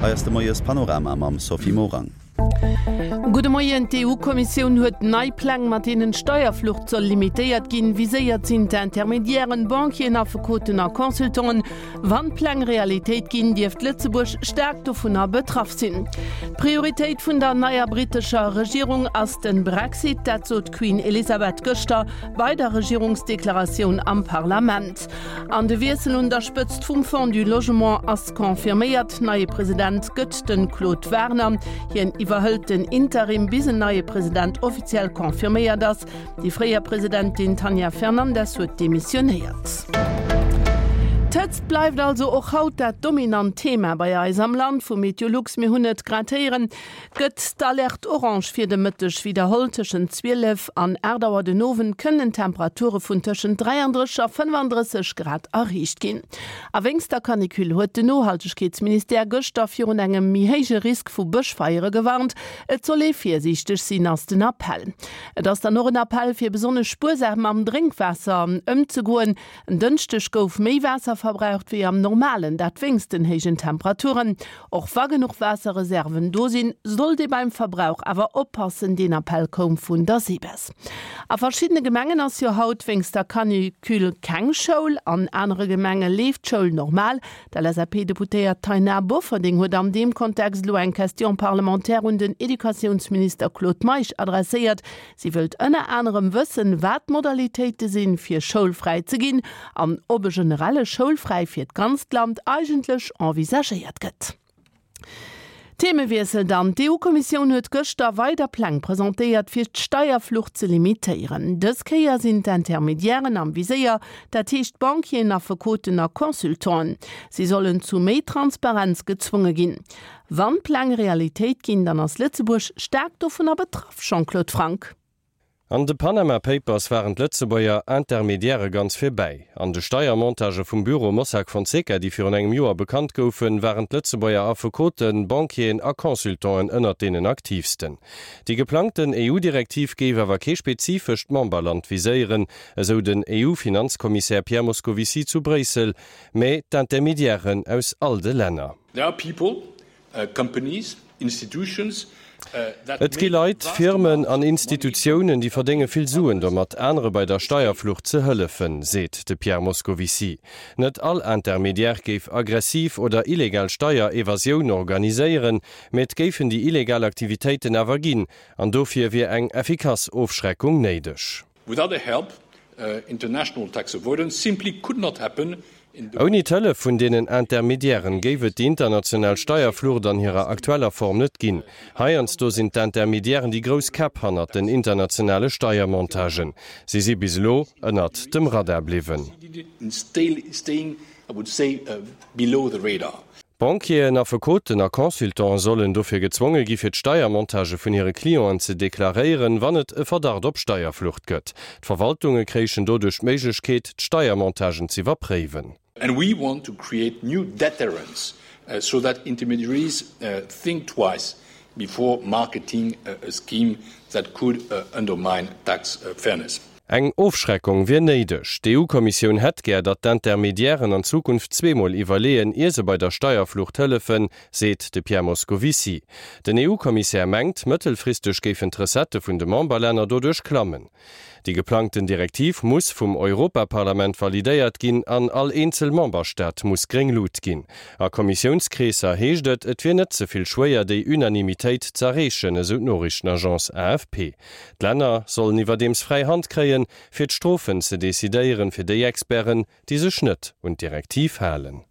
Hei ass de Moies Panorama mam Sophie Morang. Gudde Moien, D'EU-Kommissioun huet nei Pläng, mat deenen d'Steierflucht soll limitéiert ginn. Viséiert sinn d'Intermediairen, Banquieren, Affekoten a Consultanten. Wann d'Pläng Realitéit ginn, dierft Lëtzebuerg staark dovunner betraff sinn. D'Prioritéit vun der neier brittescher Regierung ass de Brexit. Dat sot d'Queen Elisabeth gëschter bei der Regierungsdeklaratioun am Parlament. An de Wiessel un der Spëtzt vum Fonds du Logement ass confirméiert. Neie President gëtt de Claude Werner. Hien iwwerhëlt den Interim, bis en neie President offiziell confirméiert ass. Déi fréier Presidentin Tanja Fernandes huet demissionéiert. D'Hëtzt bleift also och haut dat dominant Thema bei eis am Land. Vu Meteolux, mir hunn et grad héieren, gëtt d'Alerte orange fir de Mëtteg widderholl. Tëschent 12 an 8 Auer den Owend kënnen Temperature vun tëschent 33 a 35 Grad erreecht ginn. A wéinst der Canicule huet den Nohaltegkeetsministère gëschter virun engem méi héije Risk vu Bëschfeiere gewarnt. Et soll ee virsiichteg sinn, ass den Appell. Et ass dann och en Appell, fir besonnesch spuersam mam Drénkwaasser ëmzegoen. En Dënschdeg gouf méi Waasser verbraucht wéi am Normalen, dat wéinst den héijen Temperaturen. Och wa genuch Waasserreserven do sinn, sollt ee beim Verbrauch awer oppassen. Deen Appell koum vun der SEBES. A verschiddene Gemengen ass jo haut wéinst der Canicule keng Schoul. An anere Gemenge leeft d'Schoul normal. D'LSAP-Deputéiert Taina Bofferding huet an deem Kontext elo eng Question parlementaire un den Educatiounsminister Claude Meisch adresséiert. Si wëllt ënner anerem wëssen, wat d'Modalitéite sinn, fir schoulfräi ze ginn an ob e generelle Schoulfräi fir d'ganzt Land eigentlech envisagéiert gëtt. Themewiessel dann, D'EU-Kommissioun huet gëschter weider Pläng presentéiert, fir d'Steierflucht ze limitéieren. Dës Kéier sinn d'Intermediairen am Viséier, dat heescht Banquieren, Affekoten a Consultanten. Si sollen zu méi Transparenz gezwonge ginn. Wann d'Pläng Realitéit ginn, dann ass Lëtzebuerg staark dovunner betraff, Jean-Claude Franck. An de Panama Papers waren d'Lëtzebuerger Intermediairë ganz vir bäi. An de Steiermontagë vum Büro Mossack Fonseca, déi virun engem Joer bekannt goufen, waren d'Lëtzebuerger Affekoten, Banquieren a Consultanten ënnert deenen aktiivsten. Déi geplangten EU-Direktiv géif awer kee spezifescht Memberland viséieren, esou den EU-Finanzkommissär Pierre Moscovici zu Bréissel, mä d'Intermediairen aus all de Länner. There are people, companies, institutions that Et gi make Leit, vast Firmen amounts an of money Institutiounen, déi verdénge vill Suen domat, anere bei der Steierflucht ze hëllefen, seet de Pierre Moscovici. Net all Intermediaire géif aggressiv oder illegal Steierevasioun organiséieren, mä et géifen déi illegal Aktivitéiten awer ginn, an dofir wier eng effikass Ofschreckung néideg. Without their help, international tax avoidance simply could not happen in the. Ouni d'Hëllef vun deenen Intermediairen géif et déi international Steierflucht an hirer aktueller Form net ginn. Heiansdo sinn d'Intermediairen déi grouss Käpp hannert den internationale Steiermontagen. Si si bis elo ënnert dem Radar bliwwen. Banquieren, Affekoten a Consultante sollen dofir gezwonge gi fir d'Steiermontagë vun hire Clienten ze deklaréieren, wann et e Verdacht op Steierflucht gëtt. D'Verwaltunge kréichen doduerch d'Méiglechkeet, d'Steiermontagen z'iwwerpréiwen. And we want to create new deterrents so that intermediaries think twice before marketing a scheme that could undermine tax fairness. Eng Ofschreckung wier néideg. D'EU-Kommissioun hätt gär, datt d'Intermediairen an Zukunft zweemol iwwerleeën, ier se bei der Steierflucht hëllefen, seet de Pierre Moscovici. Den EU-Kommissär mengt, mëttelfristeg géifen d'Recettë vun de Memberlänner doduerch klammen. Déi geplangten Direktiv muss vum Europaparlament validéiert ginn an all eenzel Memberstaat muss gréng Lut ginn. A Kommissiounskreesser heescht et, et wier net ze vill schwéier, déi Unanimitéit z'erreechen, esou d'Noriichtenagence AFP. D'Länner sollen iwwerdeems fräi Hand kréien, fir d'Strofen ze decidéieren, fir déi Experten, déi sech net un d'Direktiv halen.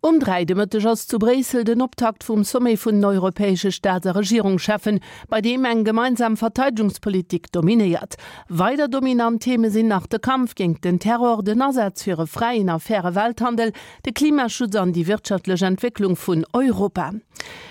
Um 3 de Mëtteg ass zu Bréissel den Optakt vum Sommet vun den europäesche Staats a Regierungscheffen, bei deem eng gemeinsam Verteidegungspolitik dominéiert. Weider dominant Theme sinn nach de Kampf géingt den Terror, den Asaz fir e fräien a faire Welthandel, de Klimaschutz an déi wirtschaftlech Entwécklung vun Europa.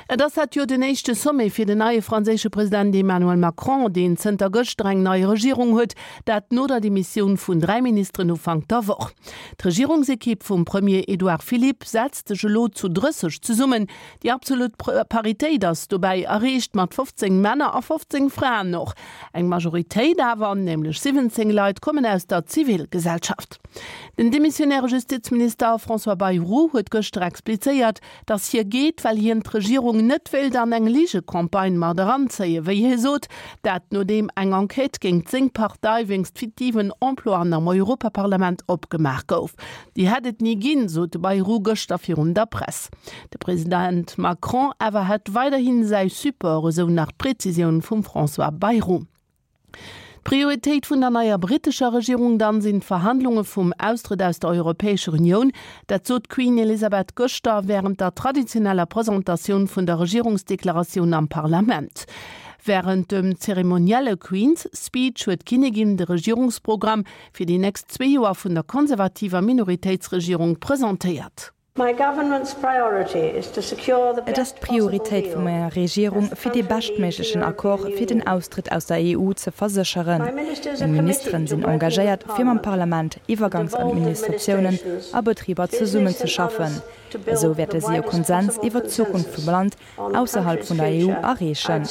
Et ass dat jo den éischte Sommet fir den neie franséische President Emmanuel Macron, deen zënter gëschter eng nei Regierung huet, dat no der Demissioun vun 3 Ministeren Ufank der Woch. D'Regierungsekipp vum Premier Edouard Philippe setzt. setzt sech elo zu 30 zesummen. Déi absolut Paritéit ass dobäi erreecht, mat 15 Männer a 15 Fraen. Och eng Majoritéit awer, nämlech 17 Leit, kommen aus der Zivilgesellschaft. Den demissionäre Justizminister François Bayrou huet gëschter explizéiert, datt hie geet, well hien d'Regierung net wéilt an eng Ligecampagne mat eranzéien, wéi hie sot. Dat nodeem eng Enquête géingt seng Partei wéinst fiktiven Emploien am Europaparlament opgemaach gouf. Déi hätt et ni ginn, sot de Bayrou gëschter virun der Press. De President Macron awer hätt weiderhi säi Support, esou nach d'Prezisioun vum François Bayrou. D'Prioritéit vun der neier brittescher Regierung dann sinn d'Verhandlunge vum Austrëtt aus der Europäescher Unioun. Dat sot d'Queen Elizabeth gëschter wärend der traditioneller Presentatioun vun der Regierungsdeklaratioun am Parlament. Wärend dem zeremonielle Queen's Speech huet d'Kinnigin de Regierungsprogramm fir déi nächst zwee Joer vun der konservativer Minoritéitsregierung presentéiert. Et ass d'Prioritéit vu menger Regierung, fir dee beschtméiglechen Accord fir den Austrëtt aus der EU ze versécheren. Meng Ministeren sinn engagéiert, fir mam Parlament, Iwwergangsadministratiounen a Betriber zesummenzeschaffen. Esou wäerte si e Konsens iwwer d'Zukunft vum Land ausserhalb vun der EU erreechen.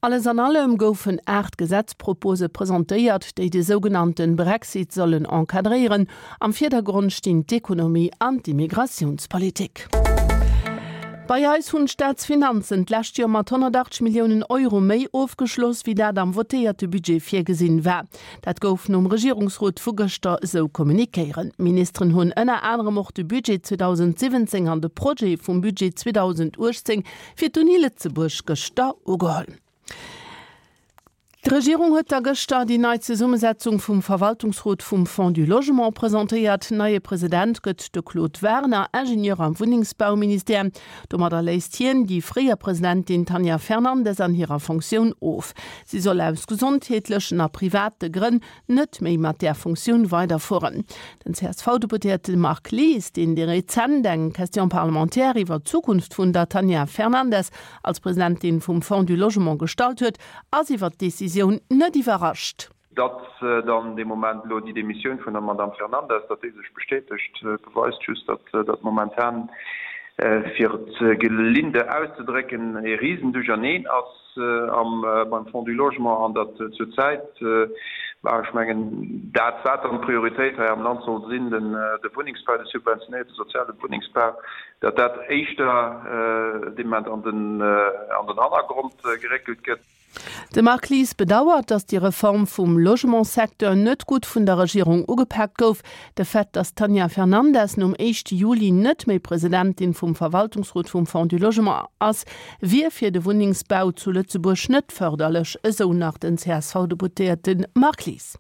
Alles an allem goufen 8 Gesetzpropose presentéiert, déi de sougenannte Brexit sollen encadréieren. Am Virdergrond stinn d'Ekonomie an d'Immigratiounspolitik. Bei eis hunn d'Staatsfinanzen d'lescht Joer mat 180 Milliounen Euro méi ofgeschloss, wéi dat am votéierte Budget virgesinn war. Dat gouf nom Regierungsrot vu gëschter esou kommunikéieren. D'Ministeren hunn ënner anerem och de Budget 2017 an de Projet vum Budget 2018 fir d'Uni Lëtzebuerg gëschter ugeholl. D'Regierung huet da gëschter déi nei Zesummesetzung vum Verwaltungsrot vum Fonds du Logement presentéiert. Neie President gëtt de Claude Werner, Ingenieur am Wunnengsbauministère. Domadder léist hien déi fréier Presidentin Tanja Fernandes an hirer Fonctioun of. Si soll aus gesondheetlechen a private Grënn net méi mat där Funktioun weiderfueren. Den CSV-Deputéierte Marc Lies, deen déi rezent eng Question parlementaire iwwer d'Zukunft vun der Tanja Fernandes als Presidentin vum Fonds du Logement gestallt huet, ass iwwer d'Decisioun net iwwerrascht. Datt dann dee Moment elo déi Demissioun vun der Madamm Fernandes, datt déi sech bestätegt, beweist just, datt dat momentan, fir et gelinde auszedrécken, ee Risenduercherneen ass. am beim Fonds du Logement an datt zur Zäit, bah ech mengen dat wat dann d'Prioritéit hei am Land soll sinn, den de Wunnengsbau, de subventionéierte soziale Wunnengsbau, datt dat éischter dee Moment an den an den Hannergrond geréckelt gëtt. De Marc Lies bedauert, datt déi Reform vum Logementssecteur net gutt vun der Regierung ugepaakt gouf. De Fait, datt d'Tanja Fernandes nom éischte Juli net méi Presidentin vum Verwaltungsrot vum Fonds du Logement ass, wier fir de Wunnengsbau zu Lëtzebuerg net fërderlech, esou nach den CSV-Deputéierte Marc Lies.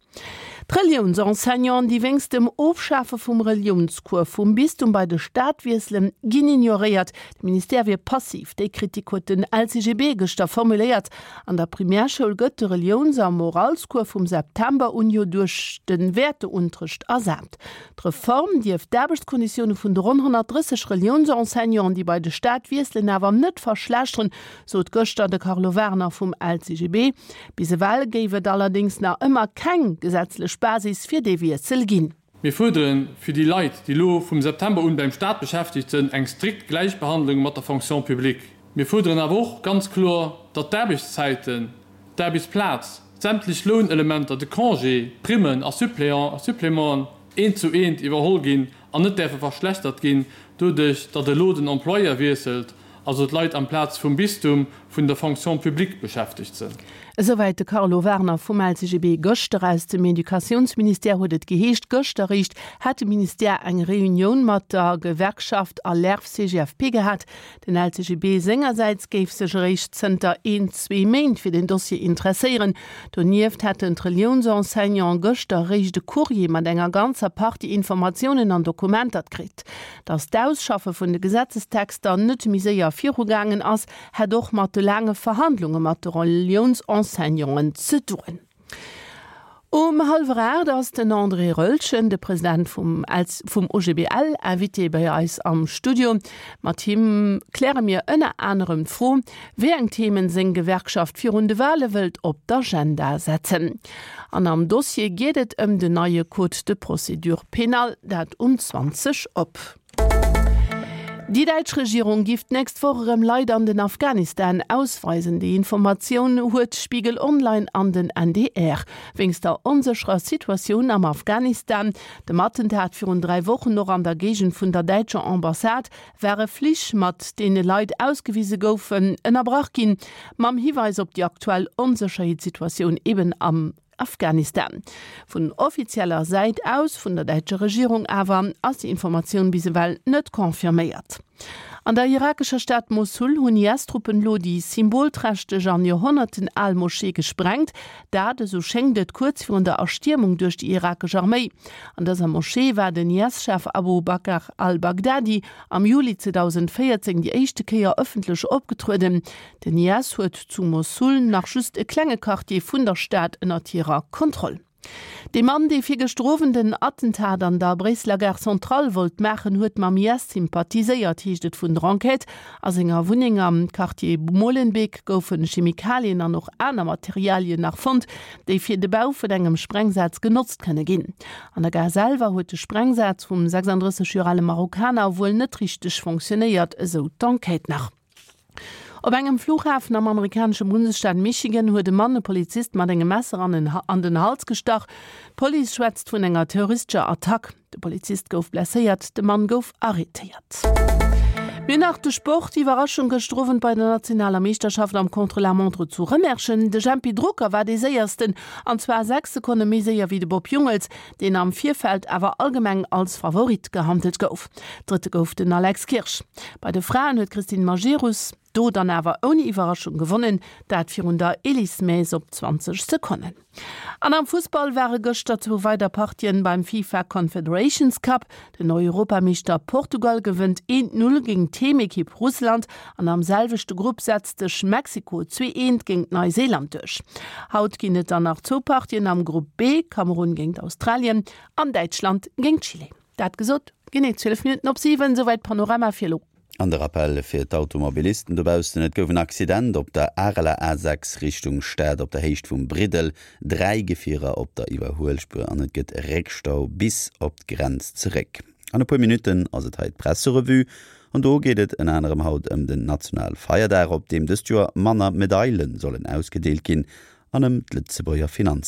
D'Reliounsenseignanten, déi wéinst dem Ofschafe vum Reliounscours vum Bistum bei de Staat wiesselen, ginn ignoréiert. De Ministère wier passiv. Déi Kritik huet den LCGB gëschter formuléiert. An der Primärschoul gëtt de Reliouns a Moralscours vum September un jo duerch de Wäerteunterrecht ersat. D'Reform dierft d'Aarbechtskonditioune vun de ronn 130 Reliounsenseignanten, déi bei de Staat wiesselen, awer net verschlechteren, sot gëschter de Carlo Werner vum LCGB. Bis ewell géif et allerdéngs nach ëmmer keng gesetzlech Basis fir dee Wiessel ginn. Mir fuerderen fir déi Leit, déi elo vum September un beim Staat beschäftegt sënn, eng strikt Gläichbehandlung mat der Fonction publique. Mir fuerderen awer och ganz kloer, datt d'Aarbechtszäiten, d'Aarbechtsplaz, sämtlech Lounelementer, de Congé, d'Primmen a Supplémenten eent zu eent iwwerholl ginn an net däerfe verschlechtert ginn doduerch, datt elo den Employeur wiesselt, also d'Leit amplaz vum Bistum vun der Fonction publique beschäftegt sënn. Esouwäit de Carlo Werner vum LCGB. Gëschter aus dem Educatiounsministère huet et geheescht, gëschter eréischt hätt de Ministère eng Reunioun mat der Gewerkschaft Alerf-CGFP gehat. Den LCGB sengersäits géif sech eréischt zënter een, zwee Méint fir den Dossier interesséieren. Donieft hätten d'Reliounsenseignante gëschter eréischt e Courrier mat enger ganzer Partie Informatiounen an Dokumenter kritt. Datt d'Ausschaffe vun de Gesetzestexter net méi séier virugaangen ass, hätt och mat de laange Verhandlunge mat de Reliounsenseignanten ze doen. Um hallwer 8 ass den André Roeltgen, de President vum vum OGBL, Invité bei eis am Studio. Mat him kläre mir ënner anerem d'Fro, wéi eng Themen seng Gewerkschaft virun de Wale wëllt op d'Agenda setzen. An am Dossier geet et ëm den neie Code de procédure pénale, dat um 20 op. Déi däitsch Regierung giff d'nächst Woch erëm Leit an den Afghanistan ausweisen. Déi Informatioun huet Spiegel Online an den NDR. Wéinst der onsécherer Situatioun am Afghanistan, dem Attentat virun 3 Wochen och an der Géigend vun der däitscher Ambassade, ware Flich, mat deene Leit ausgewise goufen, ënnerbrach ginn, mam Hiweis op déi aktuell Onsécherheetssituatioun eben am Afghanistan. Vun offizieller Säit aus, vun der däitscher Regierung awer, ass déi Informatioun bis ewell net confirméiert. An der irakescher Stad Mossul hunn IS-Truppen elo déi symbolträchteg an Joerhonnerten al Moschee gesprengt. Dat, esou schéngt et, kuerz virun der Erstiermung duerch déi irakesch Arméi. An dëser Moschee war den IS-Chef Abu Bakr al-Baghdadi am Juli 2014 déi éischte Kéier ëffentlech opgetrueden. Den IS huet zu Mossul nach just e klenge Quartier vun der Stad ënnert hirer Kontroll. Dee Mann, dee virgëschter Owend en Attentat an der Bréisseler Gare Centrale wollt maachen, huet mam IS sympathiséiert, heescht et vun der Enquête. A senger Wunneng am Quartier Molenbeek goufe Chemikalien an och aner Materialien nach fonnt, déi fir de Bau vun engem Sprengsaz genotzt kënne ginn. An der Gare selwer huet de Sprengsaz vum 36 Joer ale Marokkaner wuel net richteg fonctionéiert, esou d'Enquête nach. Op engem Flughafen am amerikanesche Bundesstaat Michigan huet e Mann e Polizist mat engem Messer an den Hals gestach. D'Police schwätzt vun enger terroristescher Attack. De Polizist gouf blesséiert, de Mann gouf arretéiert. Mir nach de Sport, Iwwerraschung gëschter Owend bei der nationaler Meeschterschaft am Contre-la-montre zu Rëmerschen. De Jempy Drucker war dee séiersten, an zwar 6 Sekonne méi séier wéi de Bob Jungels, deen am Virfeld awer allgemeng als Favorit gehandelt gouf. Drëtte gouf den Alex Kirsch. Bei de Fraen huet d'Christine Majerus do dann awer ouni Iwwerraschung gewonnen, dat virun der Elise Maes op 20 Sekonnen. An am Fussball ware gëschter zwou weider Partien beim FIFA Confederations Cup. Den Europameeschter Portugal gewënnt 1, 0 géint d'Heemekipp Russland an am selwechte Grupp setzt sech Mexiko 2, 1 géint Neuseeland duerch. Haut ginn et dann nach zwou Partien am Grupp B, Kamerun géint Australien an Däitschland géint Chile. Dat gesot, genee 12 Minutten op 7, souwäit Panorama fir elo. An de Rappel fir d'Automobilisten dobaussen, Et gouf en Accident op der Areler A6 Richtung Stad op der Héicht vum Briddel. 3 Gefierer op der Iwwerhuelspuer an et gëtt Réckstau bis op d'Grenz zeréck. An e puer Minutten ass et hei d'Presserevue an do geet et ënner anerem haut ëm den Nationalfeierdag, op deem dëst Joer manner Medaile sollen ausgedeelt ginn an ëm d'Lëtzebuerger Finanz.